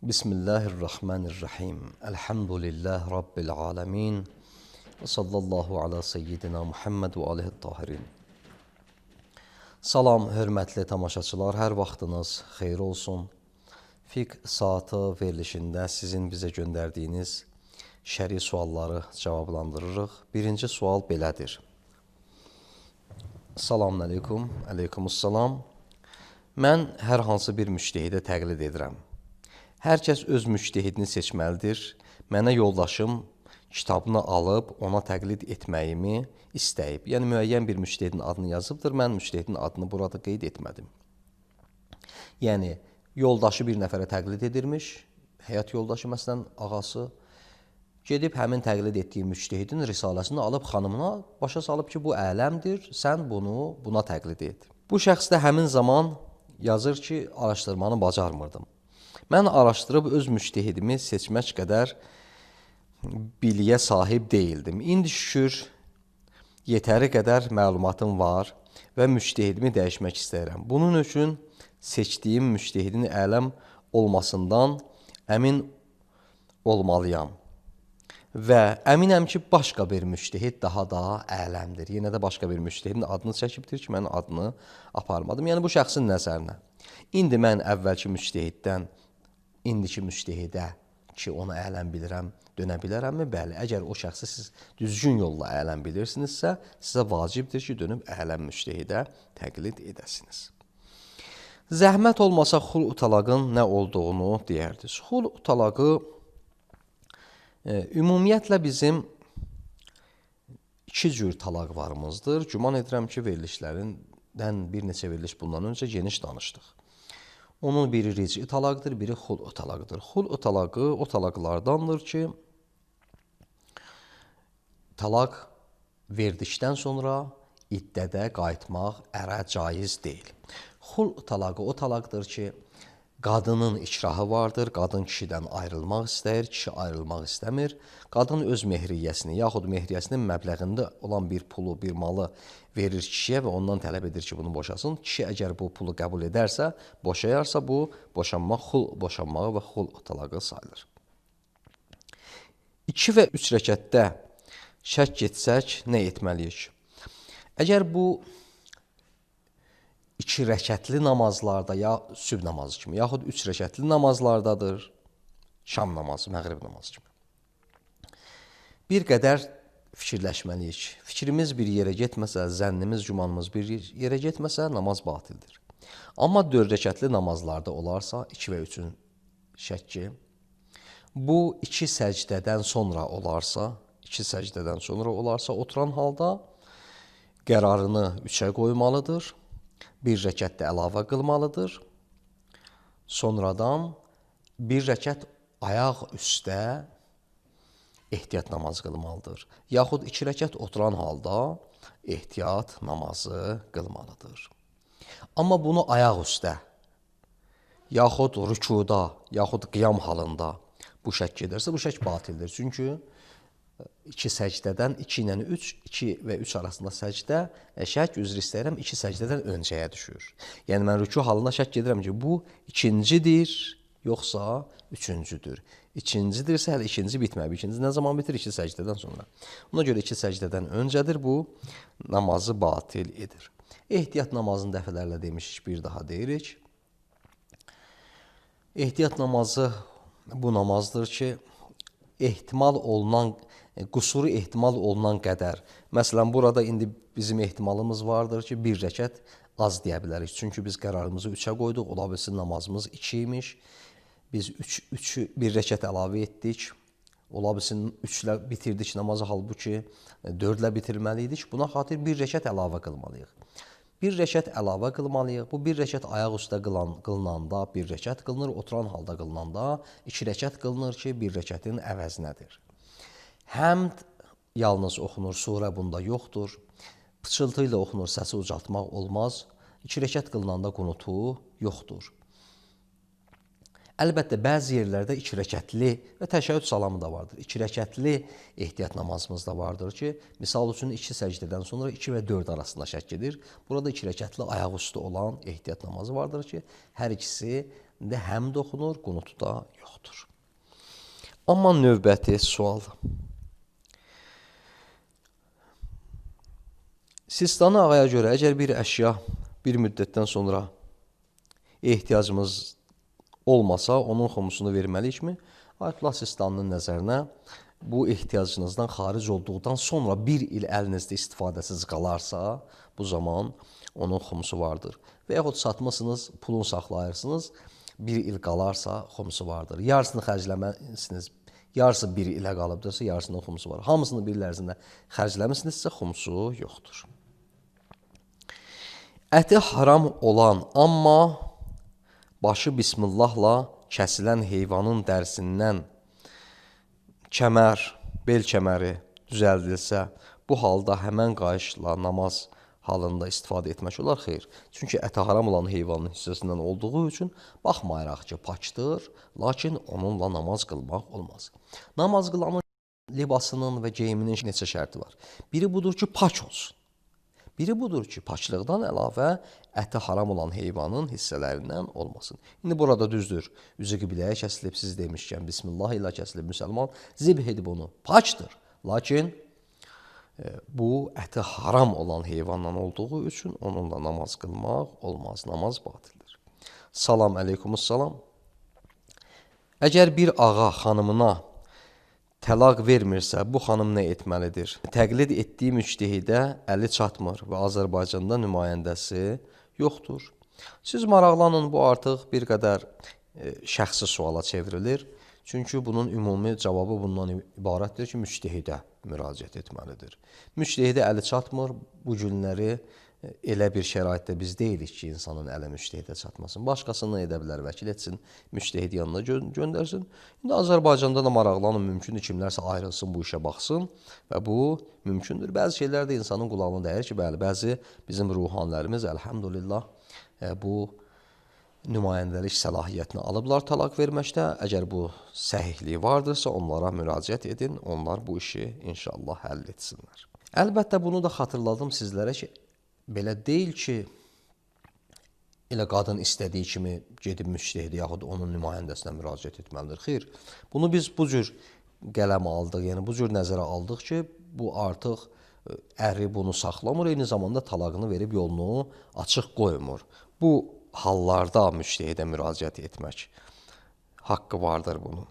Bismillahirrahmanirrahim. Elhamdülillah Rabbil alemin. Və sallallahu ala seyyidina Muhammed və alihi tahirin. Salam, hörmətli tamaşaçılar, hər vaxtınız xeyir olsun. Fiqh saatı verilişində sizin bizə göndərdiyiniz şəri sualları cavablandırırıq. Birinci sual belədir. Salamun aleykum, aleykumussalam. Mən hər hansı bir müştehidə təqlid edirəm. Hər kəs öz müştehidini seçməlidir. Mənə yoldaşım kitabını alıb ona təqlid etməyimi istəyib. Yəni, müəyyən bir müştehidin adını yazıbdır. Mən müştehidin adını burada qeyd etmədim. Yəni, yoldaşı bir nəfərə təqlid edirmiş. Həyat yoldaşı, məsələn, ağası gedib həmin təqlid etdiyi müştehidin risaləsini alıb xanımına başa salıb ki, bu ələmdir, sən buna təqlid et. Bu şəxs də həmin zaman yazır ki, araşdırmanı bacarmırdım. Mən araşdırıb öz müştehidimi seçmək qədər biliyə sahib deyildim. İndi şükür, yetəri qədər məlumatım var və müştehidimi dəyişmək istəyirəm. Bunun üçün seçdiyim müştehidin ələm olmasından əmin olmalıyam. Və əminəm ki, başqa bir müştehid daha da ələmdir. Yenə də başqa bir müştehidin adını çəkibdir ki, mən adını aparmadım. Yəni, bu şəxsin nəzərinə. İndi mən əvvəlki müştehiddən indiki müştehidə ki, onu ələm bilirəm, dönə bilərəmmi? Bəli, əgər o şəxsi siz düzgün yolla ələm bilirsinizsə, sizə vacibdir ki, dönüb ələm müştehidə təqlid edəsiniz. Zəhmət olmasa xul-u talaqın nə olduğunu deyərdiniz. Xul-u talaqı ümumiyyətlə bizim iki cür talaq varımızdır. Güman edirəm ki, verilişlərindən bir neçə veriliş bundan öncə geniş danışdıq. Onun biri rici talaqdır, biri xul-u talaqdır. Xul-u talaqı o talaqlardandır ki, talaq verdikdən sonra iddədə qayıtmaq ərə caiz deyil. Xul-u talaqı o talaqdır ki, qadının ikrahı vardır, qadın kişidən ayrılmaq istəyir, kişi ayrılmaq istəmir. Qadın öz mehriyyəsini, yaxud mehriyyəsinin məbləğində olan bir pulu, bir malı verir kişiyə və ondan tələb edir ki, bunu boşasın. Kişi əgər bu pulu qəbul edərsə, boşayarsa, bu boşanmaq xul boşanmağı və xul talağı sayılır. 2 və 3 rəkətdə şək getsək, nə etməliyik? Əgər bu 2 rəkətli namazlarda, ya sübh namazı kimi, yaxud 3 rəkətli namazlardadır, şam namazı, məğrib namazı kimi. Bir qədər fikirləşməliyik. Fikrimiz bir yerə getməsə, zənnimiz, gümanımız bir yerə getməsə, namaz batildir. Amma 4 rəkətli namazlarda olarsa, 2 və 3-ün şəkki, bu 2 səcdədən sonra olarsa, oturan halda qərarını 3-ə qoymalıdır. Bir rəkət də əlavə qılmalıdır. Sonradan bir rəkət ayaq üstə ehtiyat namazı qılmalıdır. Yaxud 2 rəkət oturan halda ehtiyat namazı qılmalıdır. Amma bunu ayaq üstə, yaxud rükuda, yaxud qiyam halında bu şək gedərsə, bu şək batildir. Çünki 2 səcdədən 2 ilə 3, 2 və 3 arasında səcdə, şək üzr istəyirəm, 2 səcdədən öncəyə düşür. Yəni, mən rüku halında şək gedirəm ki, bu ikincidir, yoxsa üçüncüdür. İkincidirsə, hələ ikinci bitməyib. İkinci nə zaman bitir? 2 səcdədən sonra. Ona görə 2 səcdədən öncədir, bu namazı batil edir. Ehtiyat namazını dəfələrlə demişik, bir daha deyirik. Ehtiyat namazı bu namazdır ki, qüsuru ehtimal olunan qədər. Məsələn, burada indi bizim ehtimalımız vardır ki, 1 rəkət az deyə bilərik. Çünki biz qərarımızı 3-ə qoyduq, ola bilsin namazımız 2 imiş. Biz 1 rəkət əlavə etdik. Ola bilsin 3-lə bitirdik namazı, halbuki 4-lə bitirməliydik. Buna xatir 1 rəkət əlavə qılmalıyıq. 1 rəkət əlavə qılmalıyıq. Bu 1 rəkət ayaq üstə qılınanda 1 rəkət qılınır, oturan halda qılınanda 2 rəkət qılınır ki, 1 rəkətin əvəzinədir. Həmd yalnız oxunur, surə bunda yoxdur. Pıçıltı ilə oxunur, səsi ucaltmaq olmaz. 2 rəkət qılınanda qunutu yoxdur. Əlbəttə, bəzi yerlərdə 2 rəkətli və təşəhhüd salamı da vardır. 2 rəkətli ehtiyat namazımız da vardır ki, misal üçün 2 səcdədən sonra 2 və 4 arasında şək edir. Burada 2 rəkətli ayaq üstü olan ehtiyat namazı vardır ki, hər ikisi İndi həm də oxunur, qunutu da yoxdur. Amma növbəti sual. Sistani ağaya görə əgər bir əşya bir müddətdən sonra ehtiyacımız olmasa, onun xumusunu verməliyikmi? Ayətullah Sistaninin nəzərinə bu ehtiyacınızdan xaric olduqdan sonra bir il əlinizdə istifadəsiz qalarsa, bu zaman onun xumusu vardır. Və yaxud satmısınız, pulunu saxlayırsınız, bir il qalarsa xumusu vardır. Yarısını xərcləməlisiniz, yarısı bir ilə qalıbdırsa, yarısının xumusu var. Hamısını bir il ərzində xərcləmisinizsə, xumusu yoxdur. Əti haram olan, amma başı bismillahla kəsilən heyvanın dərsindən kəmər, bel kəməri düzəldilsə, bu halda həmən qayışla namaz halında istifadə etmək olar, xeyr. Çünki əti haram olan heyvanın hissəsindən olduğu üçün, baxmayaraq ki, paçdır, lakin onunla namaz qılmaq olmaz. Namaz qılanın libasının və geyiminin neçə şərti var. Biri budur ki, paç olsun. Biri budur ki, paçlıqdan əlavə əti haram olan heyvanın hissələrindən olmasın. İndi burada düzdür, üzü qibləyə kəsilib, siz demişkən, Bismillah ilə kəsilib, müsəlman zibh edib onu, paçdır. Lakin bu əti haram olan heyvandan olduğu üçün onunla namaz qılmaq olmaz, namaz batildir. Salam əleykumussalam. Əgər bir ağa xanımına təlaq vermirsə, bu xanım nə etməlidir? Təqlid etdiyi müctehidə əli çatmır və Azərbaycanda nümayəndəsi yoxdur. Siz maraqlanın, bu artıq bir qədər şəxsi suala çevrilir. Çünki bunun ümumi cavabı bundan ibarətdir ki, müctehidə müraciət etməlidir. Müctehidə əli çatmır, bu günləri elə bir şəraitdə biz deyilik ki, insanın əli müctehidə çatmasın. Başqasını edə bilər, vəkil etsin, müctehid yanına göndərsin. İndi Azərbaycanda da maraqlanın, mümkündür kimlərsə ayrılsın, bu işə baxsın və bu mümkündür. Bəzi şeylər də insanın qulağına dəyir ki, bəli, bəzi bizim ruhanilərimiz, əlhəmdülillah, bu nümayəndəlik səlahiyyətini alıblar talaq verməkdə. Əgər bu səhihliyi vardırsa, onlara müraciət edin, onlar bu işi inşallah həll etsinlər. Əlbəttə, bunu da xatırladım sizlərə ki, belə deyil ki, elə qadın istədiyi kimi gedib müctehid yaxud onun nümayəndəsinə müraciət etməlidir. Xeyr, bunu biz bu cür qələm aldıq, yəni bu cür nəzərə aldıq ki, bu artıq əri bunu saxlamır, eyni zamanda talaqını verib yolunu açıq qoymur. Bu hallarda müctehidə müraciət etmək haqqı vardır bunun.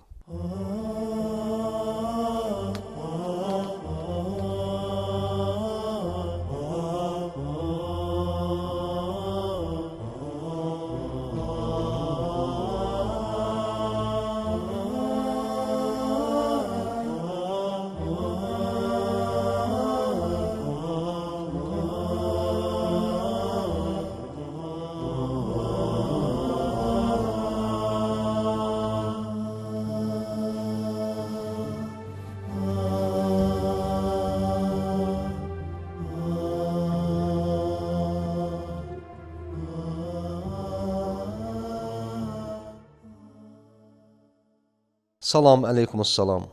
Salam əleykumussalam.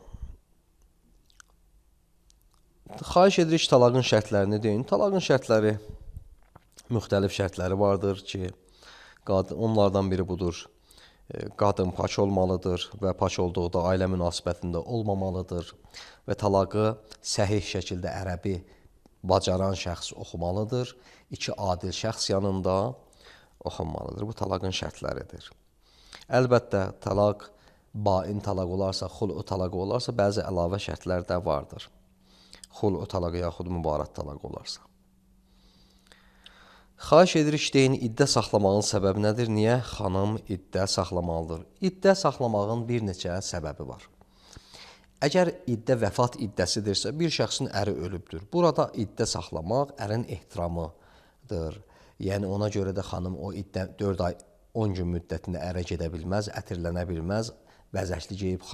Xahiş edirik talaqın şərtlərini deyin. Talaqın şərtləri, müxtəlif şərtləri vardır ki, onlardan biri budur. Qadın paç olmalıdır və paç olduqda ailə münasibətində olmamalıdır və talaqı səhih şəkildə ərəbi bacaran şəxs oxumalıdır. İki adil şəxs yanında oxunmalıdır. Bu talaqın şərtləridir. Əlbəttə, talaq bain talaq olarsa, xulu talaq olarsa, bəzi əlavə şərtlər də vardır. Xulu talaq yaxud mübarət talaq olarsa. Xahiş edirik deyin, iddə saxlamağın səbəbi nədir? Niyə xanım iddə saxlamalıdır? İddə saxlamağın bir neçə səbəbi var. Əgər iddə vəfat iddəsidirsə, bir şəxsin əri ölübdür. Burada iddə saxlamaq ərin ehtiramıdır. Yəni ona görə də xanım o iddə 4 ay 10 gün müddətində ərə gedə bilməz, ətirlənə bilməz, bəzəkli geyib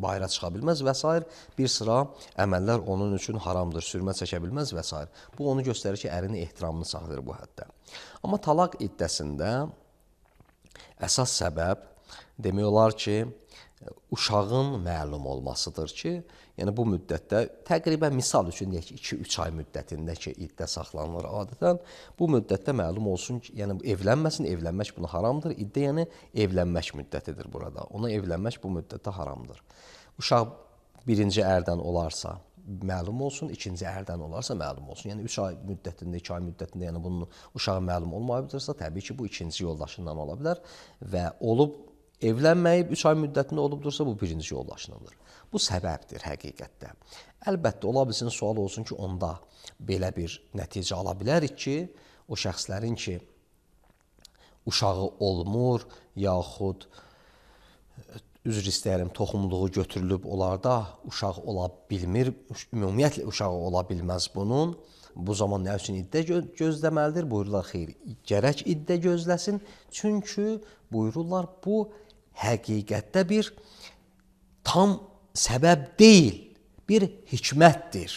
bayıra çıxa bilməz və s. Bir sıra əməllər onun üçün haramdır, sürmə çəkə bilməz və s. Bu onu göstərir ki, ərin ehtiramını saxlayır bu həddə. Amma talaq iddəsində əsas səbəb demək olar ki, uşağın məlum olmasıdır ki, yəni bu müddətdə təqribən misal üçün deyək ki, 2-3 ay müddətində ki, iddə saxlanılır adətən. Bu müddətdə məlum olsun ki, yəni evlənməsin, evlənmək buna haramdır. İddə yəni evlənmək müddətidir burada. Ona evlənmək bu müddətdə haramdır. Uşaq birinci ərdən olarsa məlum olsun, ikinci ərdən olarsa məlum olsun. Yəni 3 ay müddətində, 2 ay müddətində, yəni bunun uşağı məlum olmayıbdırsa, təbii ki, bu ikinci yoldaşından ola bilər və olub evlənməyib 3 ay müddətində olubdursa, bu birinci yoldaşınındır. Bu səbəbdir həqiqətdə. Əlbəttə, ola bilsin, sual olsun ki, onda belə bir nəticə ala bilərik ki, o şəxslərin ki, uşağı olmur, yaxud üzr istəyərəm, toxumluğu götürülüb, onlarda uşaq ola bilmir, ümumiyyətlə uşağı ola bilməz bunun. Bu zaman nə üçün iddə gözləməlidir? Buyururlar, xeyr, gərək iddə gözləsin. Çünki buyururlar, bu həqiqətdə bir tam səbəb deyil, bir hikmətdir.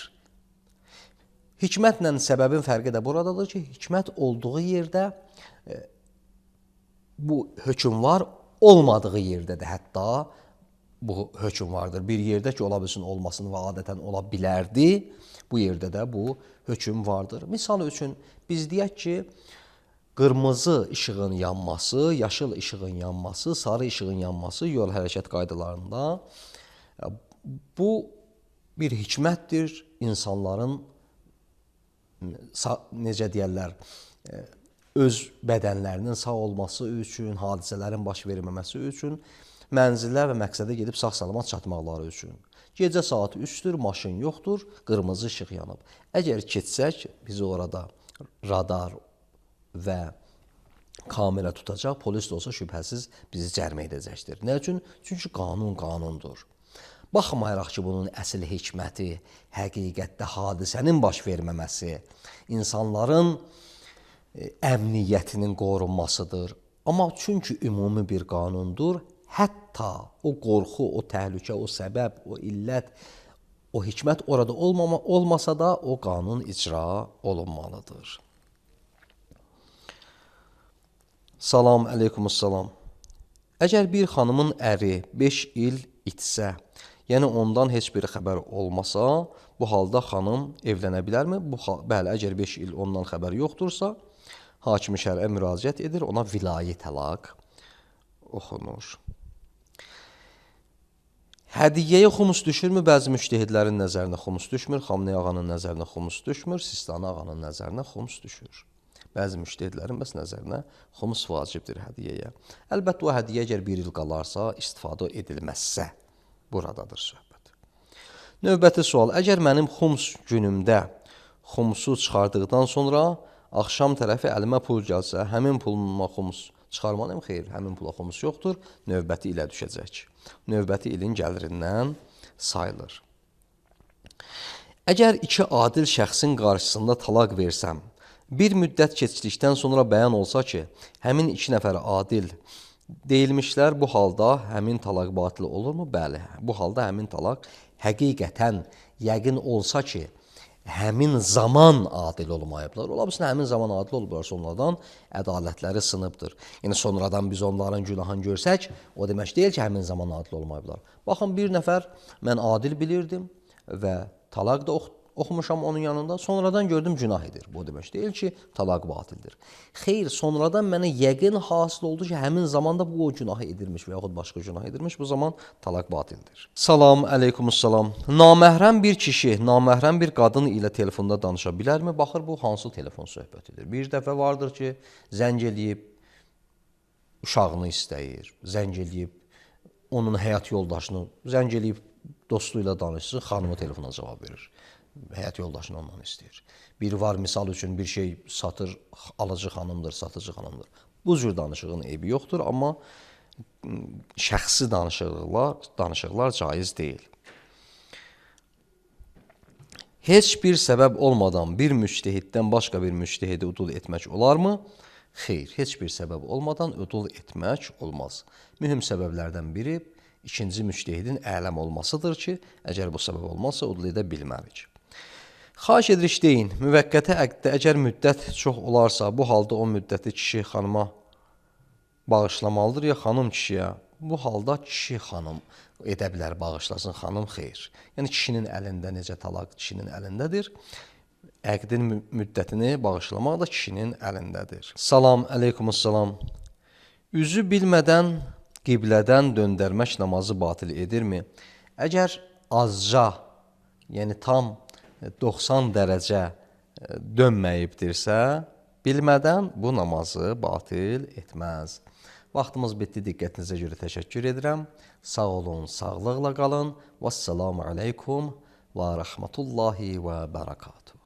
Hikmətlə səbəbin fərqi də buradadır ki, hikmət olduğu yerdə bu hökm var, olmadığı yerdə də hətta bu hökm vardır. Bir yerdə ki, ola bilsin olmasın və adətən ola bilərdi, bu yerdə də bu hökm vardır. Misal üçün, biz deyək ki, qırmızı işığın yanması, yaşıl işığın yanması, sarı işığın yanması yol hərəkət qaydalarında bu bir hikmətdir. İnsanların, necə deyərlər, öz bədənlərinin sağ olması üçün, hadisələrin baş verməməsi üçün, mənzilə və məqsədə gedib sağ-salamat çatmaqları üçün. Gecə saat 3-dür, maşın yoxdur, qırmızı işıq yanıb. Əgər keçsək, bizi orada radar və kamera tutacaq, polis də olsa şübhəsiz bizi cərimə edəcəkdir. Nə üçün? Çünki qanun qanundur. Baxmayaraq ki, bunun əsl hikməti, həqiqətdə hadisənin baş verməməsi, insanların əmniyyətinin qorunmasıdır. Amma çünki ümumi bir qanundur, hətta o qorxu, o təhlükə, o səbəb, o illət, o hikmət orada olmasa da o qanun icra olunmalıdır. Salam, əleykumussalam. Əgər bir xanımın əri 5 il itsə, yəni ondan heç bir xəbər olmasa, bu halda xanım evlənə bilərmi? Bəli, əgər 5 il ondan xəbər yoxdursa, hakim-i şərə müraciət edir, ona vilayi təlaq oxunur. Hədiyyəyə xumus düşürmü? Bəzi müştəhidlərin nəzərinə xumus düşmür, Xamneyi ağanın nəzərinə xumus düşmür, Sistani ağanın nəzərinə xumus düşür. Bəzi müştəhidlərin bəs nəzərinə xumus vacibdir hədiyyəyə. Əlbəttə, o hədiyyə əgər 1 il qalarsa, istifadə edilməzsə, buradadır söhbət. Növbəti sual, əgər mənim xums günümdə xumsu çıxardıqdan sonra axşam tərəfi əlimə pul gəlsə, həmin puluma xumus çıxarmalıyım? Xeyr, həmin pula xumus yoxdur, növbəti ilə düşəcək. Növbəti ilin gəlirindən sayılır. Əgər 2 adil şəxsin qarşısında talaq versəm, bir müddət keçdikdən sonra bəyan olsa ki, həmin 2 nəfər adil deyilmişlər, bu halda həmin talaq batil olurmu? Bəli, bu halda həmin talaq həqiqətən yəqin olsa ki, həmin zaman adil olmayıblar. Ola bilsin, həmin zaman adil olublar, sonradan ədalətləri sınıbdır. Yəni, sonradan biz onların günahını görsək, o demək deyil ki, həmin zaman adil olmayıblar. Baxın, bir nəfər mən adil bilirdim və talaq da oxumuşam onun yanında, sonradan gördüm günah edir. Bu demək deyil ki, talaq batildir. Xeyr, sonradan mənə yəqin hasil oldu ki, həmin zamanda bu o günahı edirmiş və yaxud başqa günah edirmiş, bu zaman talaq batildir. Salam, əleykumussalam. Naməhrəm bir kişi, naməhrəm bir qadın ilə telefonda danışa bilərmi? Baxır, bu hansı telefon söhbətidir? Bir dəfə vardır ki, zəng eləyib, uşağını istəyir, zəng eləyib, onun həyat yoldaşını, zəng eləyib, dostu ilə danışsın, xanımı telefona cavab verir. Həyat yoldaşını ondan istəyir. Biri var, misal üçün bir şey satır, alıcı xanımdır, satıcı xanımdır. Bu cür danışığın eybi yoxdur, amma şəxsi danışıqlar caiz deyil. Heç bir səbəb olmadan bir müctehiddən başqa bir müctehidi udul etmək olarmı? Xeyr, heç bir səbəb olmadan udul etmək olmaz. Mühüm səbəblərdən biri ikinci müctehidin ələm olmasıdır ki, əgər bu səbəb olmazsa udul edə bilmərik. Xahiş edirik deyin, müvəqqəti əqddə əgər müddət çox olarsa, bu halda o müddəti kişi xanıma bağışlamalıdır ya xanım kişiyə bu halda kişi xanım edə bilər, bağışlasın, xanım xeyr. Yəni kişinin əlində necə talaq kişinin əlindədir. Əqdin müddətini bağışlamaq da kişinin əlindədir. Salam, əleykumussalam. Üzü bilmədən qiblədən döndərmək namazı batil edirmi? Əgər azca, yəni tam 90 dərəcə dönməyibdirsə, bilmədən bu namazı batil etməz. Vaxtımız bitdi, diqqətinizə görə təşəkkür edirəm. Sağ olun, sağlıqla qalın. Vəssalamu aleykum və rəhmətullahi və bərəkatuhu.